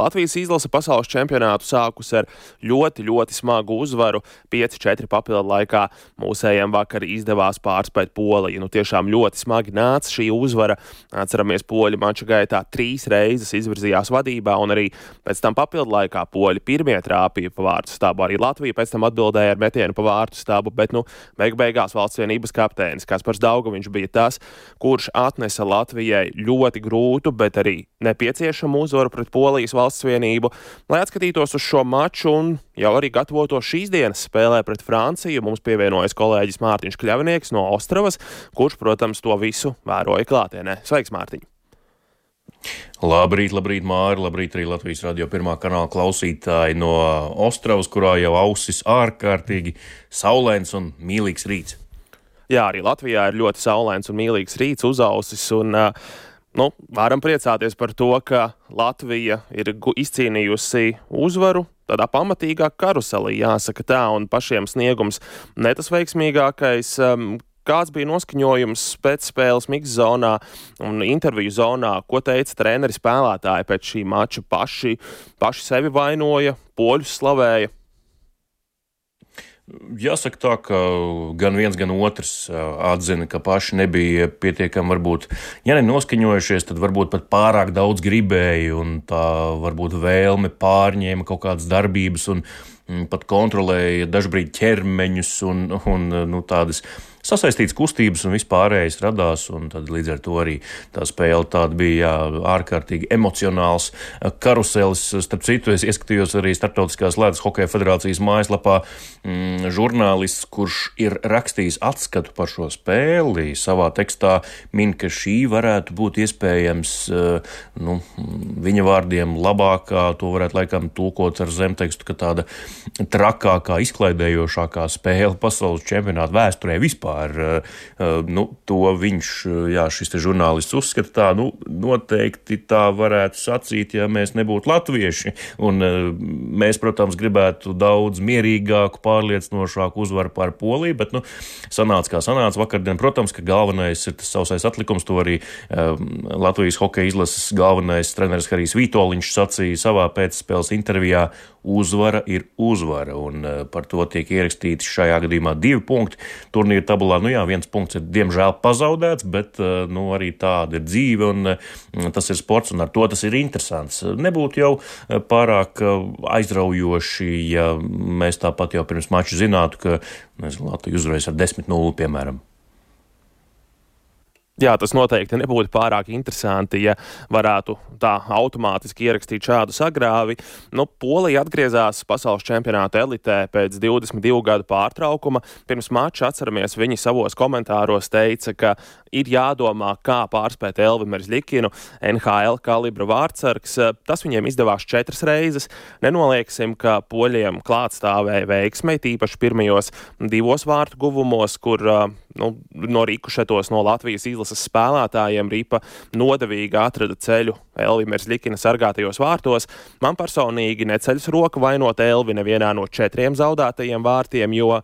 Latvijas izlase pasaules čempionātu sākus ar ļoti, ļoti smagu uzvaru. 5-4 papildu laikā mūsējiem vakar izdevās pārspēt Poliju. Tiešām ļoti smagi nāca šī uzvara. Atceramies, poļi mača gaitā 3 reizes izvirzījās vadībā, un arī pēc tam papildu laikā poļi pirmie trāpīja pa vārtu stabu. Arī Latvija pēc tam atbildēja ar metienu pa vārtu stabu, bet beigās valsts vienības kapteinis Kaspars Daugaviņš bija tas, kurš atnesa Latvijai ļoti grūtu, bet arī nepieciešamu uzvaru pret Polijas valsts vienību, lai atskatītos uz šo maču un jau arī gatavotos šīs dienas spēlē pret Franciju. Mums pievienojas kolēģis Mārtiņš Kļavnieks no Ostravas, kurš, protams, to visu vēroja klātienē. Sveiks, Mārtiņ! Labrīt, Māri, labrīt arī Latvijas radio pirmā kanāla klausītāji no Ostravas, kurā jau ausis ārkārtīgi saulains un mīlīgs rīts. Jā, arī Latvijā ir ļoti saulains un mīlīgs rīts uzausis, un varam priecāties par to, ka Latvija ir izcīnījusi uzvaru tādā pamatīgā karuselī, jāsaka tā, un pašiem sniegums ne tas veiksmīgākais. Kāds bija noskaņojums pēc spēles mix zonā un interviju zonā? Ko teica treneri, spēlētāji pēc šī mača? Paši sevi vainoja, poļus slavēja? Jāsaka tā, ka gan viens, gan otrs atzina, ka paši nebija pietiekami varbūt, ja ne noskaņojušies, tad varbūt pat pārāk daudz gribēja, un tā varbūt vēlme pārņēma kaut kādas darbības un pat kontrolēja dažbrīd ķermeņus un tādas sasaistītas kustības un vispārējais radās, un tad līdz ar to arī tā spēle tāda bija ārkārtīgi emocionāls karuselis. Starp citu, es ieskatījos arī Starptautiskās ledus hokeja federācijas mājaslapā žurnālists, kurš ir rakstījis atskatu par šo spēli, savā tekstā min, ka šī varētu būt iespējams, viņa vārdiem labākā, to varētu laikam tulkot ar zemtekstu, ka tāda trakākā, izklaidējošākā spēle pasaules čempionāta vēsturē vispār. To viņš, šis te žurnālists uzskata tā, noteikti tā varētu sacīt, ja mēs nebūtu latvieši. Un mēs, protams, gribētu daudz mierīgāku, pārliecinošāku uzvaru pār Poliju, bet, sanāca kā sanāca vakardien. Protams, ka galvenais ir tas sausais atlikums, to arī Latvijas hokeja izlases galvenais treneris Harijs Vitoļņš sacīja savā pēcspēles intervijā. Uzvara ir uzvara, un par to tiek ierakstīti šajā gadījumā 2 punkti. Turnīra tabulā, 1 punkts ir diemžēl pazaudēts, bet arī tāda ir dzīve, un tas ir sports, un ar to tas ir interesants. Nebūtu jau pārāk aizraujoši, ja mēs tāpat jau pirms mača zinātu, ka Latvija uzvarēs ar 10-0, piemēram. Jā, tas noteikti nebūtu pārāk interesanti, ja varētu tā automātiski ierakstīt šādu sagrāvi. Polija atgriezās pasaules čempionāta elitē pēc 22 gadu pārtraukuma. Pirms mača, atceramies, viņi savos komentāros teica, ka ir jādomā, kā pārspēt Elvi Merzlikinu, NHL kalibra vārtsargs. Tas viņiem izdevās 4 reizes. Nenolieksim, ka poļiem klātstāvēja veiksmei, tīpaši pirmajos 2 vārtu guvumos, kur no rikušetos no Latvijas izlases spēlētājiem Ripa nodevīgi atrada ceļu Elvi Merzlikina sargātajos vārtos. Man personīgi neceļas roka vainot Elvi nevienā no 4 zaudētajiem vārtiem, jo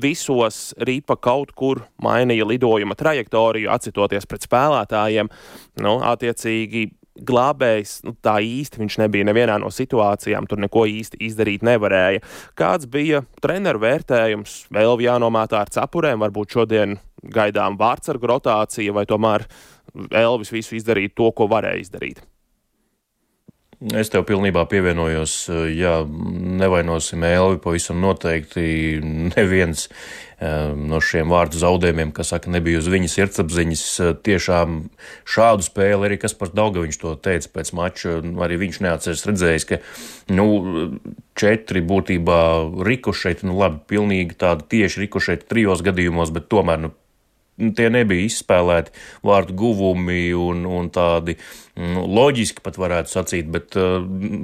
visos Ripa kaut kur mainīja lidojuma trajektoriju, atsitoties pret spēlētājiem. Attiecīgi glābējs, tā īsti viņš nebija nevienā no situācijām, tur neko īsti izdarīt nevarēja. Kāds bija treneru vērtējums? Elvi jānomētā ar cepurēm, varbūt šodien gaidām vārtsargu rotācija, vai tomēr Elvis visu izdarīja to, ko varēja izdarīt? Es tev pilnībā pievienojos, nevainosim Elvi, pavisam noteikti neviens no šiem vārdu zaudējumiem, kas saka, nebija uz viņas sirdsapziņas. Tiešām šādu spēli arī Kaspars Daugaviņš to teica pēc mača, arī viņš neatceras redzējis, ka 4 būtībā rikošeti, labi, pilnīgi tādi tieši rikošeti 3 gadījumos, bet tomēr tie nebija izspēlēti vārdu guvumi un tādi loģiski pat varētu sacīt, bet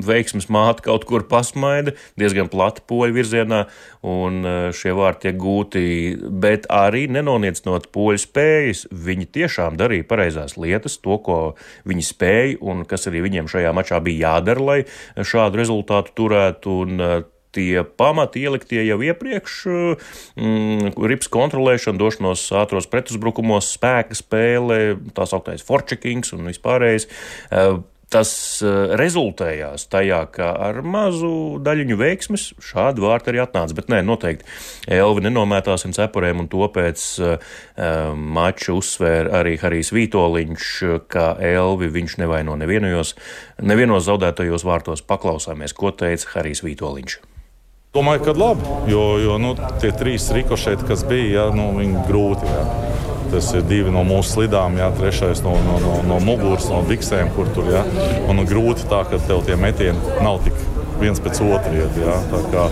veiksmes māte kaut kur pasmaida, diezgan plati poļu virzienā, un šie vārdi tiek gūti, bet arī nenoniecot poļu spējas. Viņi tiešām darīja pareizās lietas, to, ko viņi spēja, un kas arī viņiem šajā mačā bija jādara, lai šādu rezultātu turētu, un tie pamati ieliktie jau iepriekš, rips kontrolēšana, došanos ātros pretuzbrukumos, spēka spēle, tā sauktais forčekings un vispārējais. Tas rezultējās tajā, ka ar mazu daļiņu veiksmes šādi vārti arī atnāca. Bet nē, noteikti Elvi nenomētāsim cepurēm, un to pēc mača uzsvēra arī Harijs Vītoliņš, ka Elvi viņš nevaino nevienos zaudētajos vārtos. Paklausāmies, ko teica Harijs Vītoliņš. Domāju, ka labi, jo tie 3 rikošēti, kas bija, viņi grūti. Jā. Tas ir 2 no mūsu slidām, 3 no muguras, no biksēm, kur tur. Jā. Un grūti tā, ka tev tie metieni nav tik viens pēc otra iet. Jā. Tā kā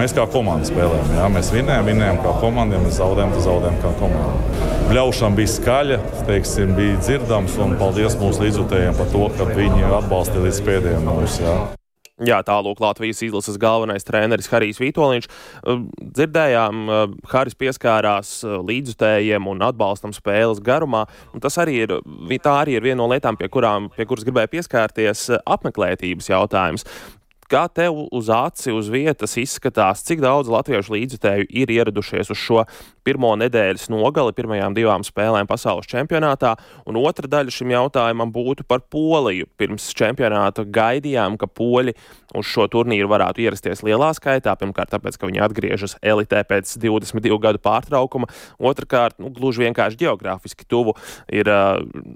mēs kā komanda spēlējam. Jā. Mēs vinējam kā komanda, ja mēs zaudējam kā komanda. Bļaušana bija skaļa, bija dzirdams, un paldies mūsu līdzjutējiem par to, ka viņi atbalstīja līdz pēdējiem mūs. Jā. Jā, tālūk Latvijas izlases galvenais treneris Harijs Vītoliņš. Dzirdējām, Harijs pieskārās līdzjutējiem un atbalstam spēles garumā, un tā arī ir viena no lietām, pie kuras gribēja pieskārties, apmeklētības jautājums. Kā tev uz aci, uz vietas izskatās, cik daudz latviešu līdzjutēju ir ieradušies uz šo pirmo nedēļas nogali pirmajām 2 spēlēm pasaules čempionātā, un otra daļa šim jautājumam būtu par Poliju. Pirms čempionāta gaidījām, ka poļi uz šo turnīru varētu ierasties lielā skaitā, pirmkārt tāpēc, ka viņi atgriežas elitē pēc 22 gadu pārtraukuma, otrkārt, gluži vienkārši geogrāfiski tuvu ir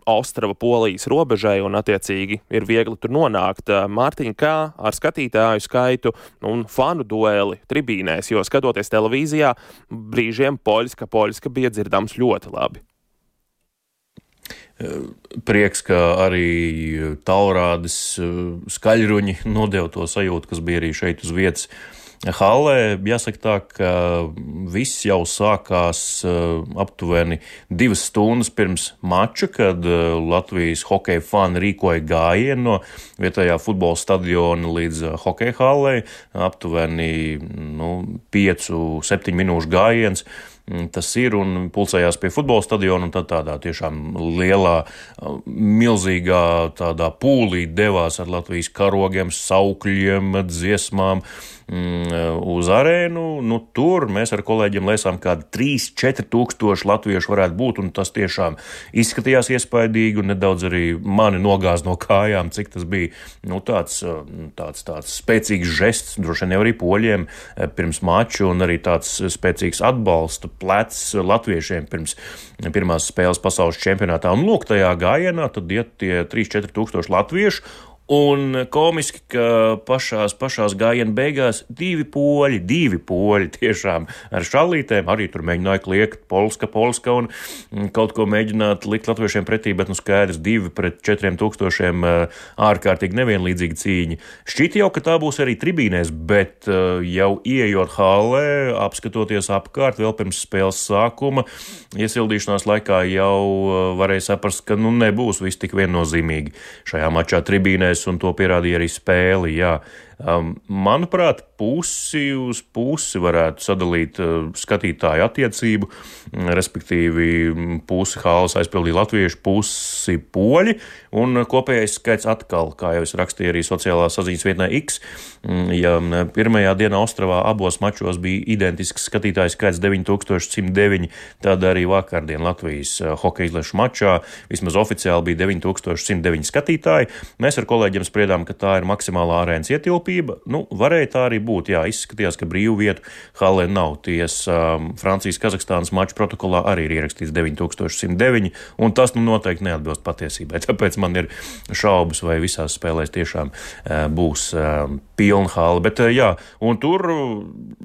Ostrava Polijas robežai, un attiecīgi ir viegli tur nonākt. Mārtiņ, kā ar skatītāju skaitu un fanu dueli tribīnēs, jo skatoties televīzijā, brīžiem Poļska bija dzirdams ļoti labi. Prieks, ka arī taurādes skaļruņi nodeva to sajūtu, kas bija arī šeit uz vietas hallē. Jāsaka tā, ka viss jau sākās aptuveni 2 stundas pirms mača, kad Latvijas hokeja fani rīkoja gājienu no vietējā futbola stadiona līdz hokeja hallei. Aptuveni 5-7 minūšu gājiens. Tas ir un pulcējās pie futbola stadiona, un tad tādā tiešām lielā, milzīgā tādā pūlī devās ar Latvijas karogiem, saukļiem, dziesmām uz arēnu. Tur mēs ar kolēģiem lēsām kādi 3-4 tūkstoši latviešu varētu būt, un tas tiešām izskatījās iespaidīgi, un nedaudz arī mani nogāz no kājām, cik tas bija tāds spēcīgs žests, droši vien jau arī poļiem pirms maču, un arī tāds spēcīgs atbalsta plecs latviešiem pirms pirmās spēles pasaules čempionātā. Un lūk, tajā gājienā tad iet tie 3-4 tūkstoši latviešu, un komiski, ka pašās gājiena beigās 2 poļi tiešām ar šallītēm arī tur mēģināja kliegt polska un kaut ko mēģināt likt latviešiem pretī, bet skaidrs 2 pret 4 tūkstošiem ārkārtīgi nevienlīdzīga cīņa. Šķita jau, ka tā būs arī tribīnēs, bet jau ieejot hallē, apskatoties apkārt vēl pirms spēles sākuma, iesildīšanās laikā jau varēja saprast, ka nebūs viss tik viennozīmīgi šajā mačā tribīnēs. Un to pierādīja arī spēli, jā. Manuprāt, pusi uz pusi varētu sadalīt skatītāju attiecību, respektīvi pusi halles aizpildīja latviešu, pusi poļi, un kopējais skaits atkal, kā jau es rakstīju arī sociālā saziņas vietnē X, ja pirmajā dienā Ostravā abos mačos bija identisks skatītāju skaits 9109, tad arī vakardien Latvijas hokeja izlašu mačā vismaz oficiāli bija 9109 skatītāji. Mēs ar kolēģiem spriedām, ka tā ir maksimālā arēnas ietilpība. Varēja tā arī būt. Jā, izskatījās, ka brīvu vietu hallē nav. Francijas-Kazahstānas maču protokolā arī ir ierakstīts 9109, un tas noteikti neatbilst patiesībai. Tāpēc man ir šaubas, vai visās spēlēs tiešām būs pilna halle. Bet jā, un tur,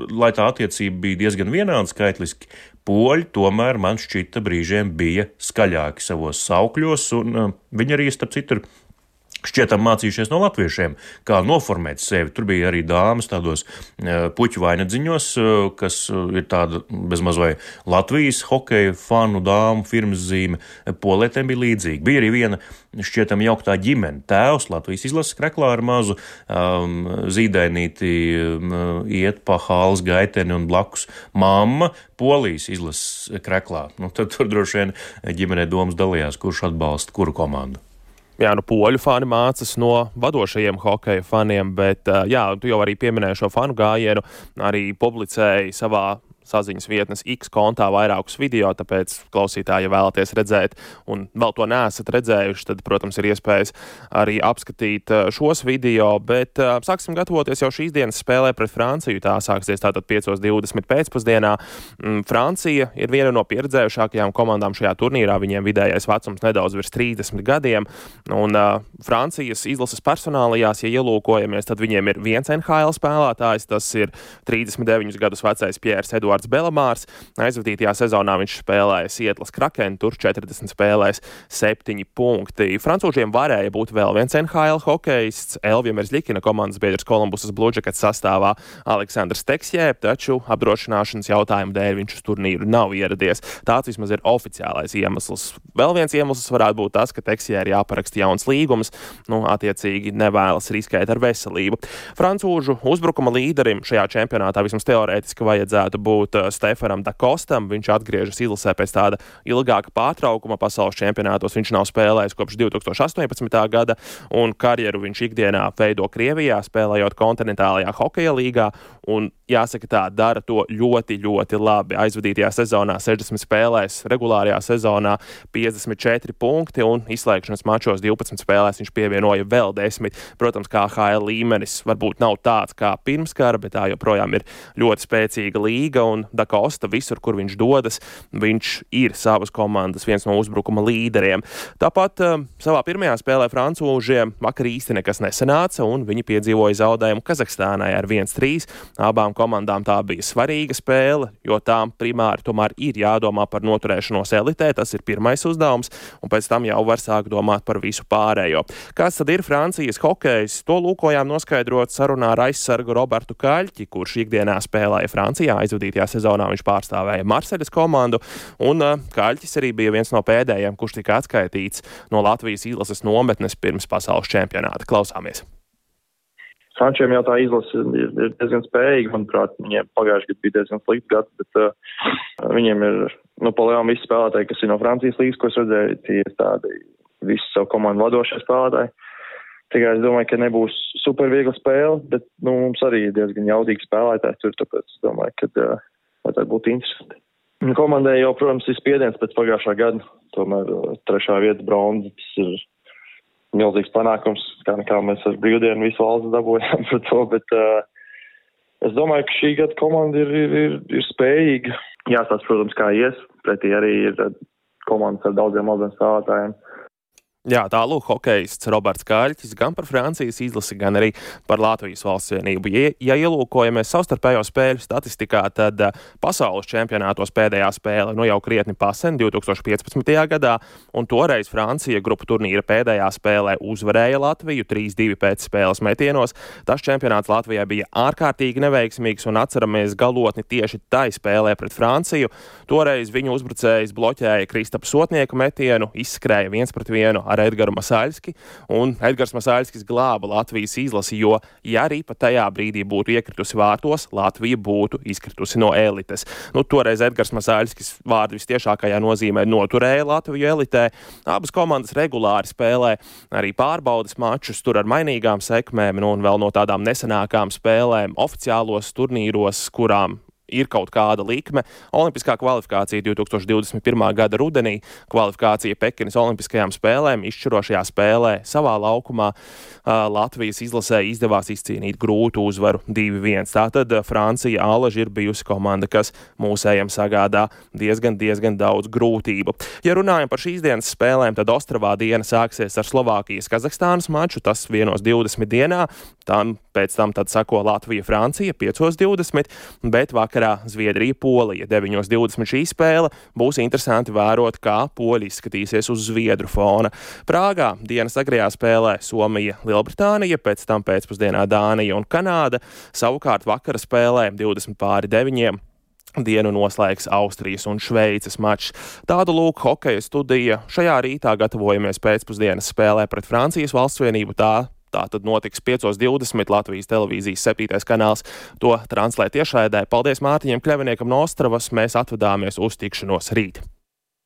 lai tā attiecība bija diezgan vienāda skaitliski, poļi tomēr man šķita brīžiem bija skaļāki savos saukļos, un viņi arī, starp citu, šķietam mācījušies no latviešiem, kā noformēt sevi. Tur bija arī dāmas tādos puķu vainadziņos, kas ir tāda bezmaz vai Latvijas hokeja fanu dāmu firmas zīme. Polietēm bija līdzīgi. Bija arī viena šķietam jauktā ģimene. Tēvs Latvijas izlases kreklā ar mazu zīdainīti iet pa halles gaiteni un blakus mamma Polijas izlases kreklā. Tad tur droši vien ģimenē domas dalījās, kurš atbalsta kuru komandu. Jā, poļu fani mācas no vadošajiem hokeja faniem, bet jā, tu jau arī pieminēji šo fanu gājienu, arī publicēji savā saziņas vietnes X kontā vairākus video, tāpēc klausītāji, ja vēlaties redzēt un vēl to neesat redzējuši, tad, protams, ir iespējas arī apskatīt šos video, bet sāksim gatavoties jau šīs dienas spēlē pret Franciju. Tā sāksies tātad 5:20 pēcpusdienā. Francija ir viena no pieredzējušākajām komandām šajā turnīrā, viņiem vidējais vecums nedaudz virs 30 gadiem, un Francijas izlases personālajās, ja ielūkojamies, tad viņiem ir viens NHL spēlētājs, tas ir 39 gadus vecais Pierres Eduards Belamārs. Aizvadītajā sezonā viņš spēlēja Sietlas Kraken, tur 40 spēlēs 7 punkti. Francūžiem varēja būt vēl viens NHL hokejists, Elvija Merzļikina komandas biedrs Kolumbusas Blue Jackets sastāvā Aleksandrs Teksjē, taču apdrošināšanas jautājumu dēļ viņš uz turnīru nav ieradies. Tāds vismaz ir oficiālais iemesls. Vēl viens iemesls varētu būt tas, ka Teksjē ir jāparaksta jauns līgums, attiecīgi nevēlas riskēt ar veselību. Francūžu uzbrukuma līderim šajā čempionātā vismaz teorētiski vajadzētu būt Stefanam Dakostam. Viņš atgriežas izlasē pēc tāda ilgāka pārtraukuma pasaules čempionātos. Viņš nav spēlējis kopš 2018. gada, un karjeru viņš ikdienā veido Krievijā, spēlējot kontinentālajā hokeja līgā, un jāsaka tā, dara to ļoti, ļoti labi. Aizvadītajā sezonā 60 spēlēs, regulārajā sezonā 54 punkti, un izslēgšanas mačos 12 spēlēs viņš pievienoja vēl 10. Protams, kā HL līmenis varbūt nav tāds kā pirms kara, bet tā joprojām ir ļoti spēcīga līga, un Dakosta visur, kur viņš dodas, viņš ir savas komandas viens no uzbrukuma līderiem. Tāpat savā pirmajā spēlē francūžiem vakar īsti nekas nesanāca, un viņi piedzīvoja zaudējumu Kazahstānai ar 1-3. Abām komandām tā bija svarīga spēle, jo tām primāri tomēr ir jādomā par noturēšanos elitē, tas ir pirmais uzdevums, un pēc tam jau var sākt domāt par visu pārējo. Kāds tad ir Francijas hokejs? To lūkojām noskaidrot sarunā ar aizsargu Robertu Kaļķi, kurš ikdienā spēlēja Francijā. Aizvadītajā sezonā viņš pārstāvēja Marseļas komandu, un Kaļķis arī bija viens no pēdējiem, kurš tika atskaitīts no Latvijas izlases nometnes pirms pasaules čempionāta. Klausāmies! Frančiem jau tā izlase ir diezgan spējīga, manuprāt, viņiem pagājuši gadu bija diezgan slikts gads, bet viņiem ir, pa lielām visi spēlētāji, kas ir no Francijas līgas, ko es redzēju, tie ir tādi visi savu komandu vadošie spēlētāji. Tikai es domāju, ka nebūs super viegla spēle, bet mums arī ir diezgan jaudīgi spēlētāji tur, tāpēc es domāju, ka tā būtu interesanti. Komandai jau, protams, ir spiediens pēc pagājušā gada, tomēr 3. vieta bronza, tas ir milzīgs panākums, kā mēs ar brīvdienu visu valsts dabūjām par to, bet es domāju, ka šī gada komanda ir spējīga. Jāstāsta, protams, kā ies, pretī arī ir komandas ar daudziem spēlētājiem. Jā, tālūk hokejists Roberts Kaļķis gan par Francijas izlasi, gan arī par Latvijas valsts vienību. Ja ielūkojamies savstarpējo spēļu statistikā, tad pasaules čempionātos pēdējā spēle jau krietni pasen 2015. gadā, un toreiz Francija grupu turnīra pēdējā spēlē uzvarēja Latviju 3-2 pēc spēles metienos. Tas čempionāts Latvijai bija ārkārtīgi neveiksmīgs, un atceramies galotni tieši tai spēlē pret Franciju. Toreiz viņu uzbrucējs bloķēja Kristapa Sotnieka metienu, izskrēja 1-1 ar Edgaru Masaļski, un Edgars Masaļskis glāba Latvijas izlasi, jo, ja arī pat tajā brīdī būtu iekritusi vārtos, Latvija būtu izkritusi no elites. Toreiz Edgars Masaļskis vārdu vistiešākajā nozīmē noturēja Latviju elitē. Abas komandas regulāri spēlē arī pārbaudas mačus, tur ar mainīgām sekmēm, un vēl no tādām nesenākām spēlēm oficiālos turnīros, kurām ir kaut kāda likme. Olimpiskā kvalifikācija 2021. gada rudenī, kvalifikācija Pekinas olimpiskajām spēlēm, izšķirošajā spēlē savā laukumā Latvijas izlasē izdevās izcīnīt grūtu uzvaru 2-1. Tātad Francija alaži ir bijusi komanda, kas mūsējiem sagādā diezgan daudz grūtību. Ja runājam par šīs dienas spēlēm, tad Ostravā diena sāksies ar Slovākijas Kazahstānas maču, tas 1:20 dienā, pēc tam tad sako Latvija-Francija 5:20, bet vakarā Zviedrija-Polija 9:20 šī spēle. Būs interesanti vērot, kā poļi izskatīsies uz zviedru fona. Prāgā dienas agrajā spēlē Somija-Lielbritānija, pēc tam pēcpusdienā Dānija un Kanāda. Savukārt vakara spēlē 20:9 dienu noslēgs Austrijas un Šveices mačs. Tādu lūk hokeja studija. Šajā rītā gatavojamies pēcpusdienas spēlē pret Francijas valsts vienību. Tā tad notiks 5:20 Latvijas televīzijas 7. kanāls. To translē tiešraidē. Paldies Mārtiņam Kļaviniekam no Ostravas. Mēs atvadāmies uz tikšanos rīt.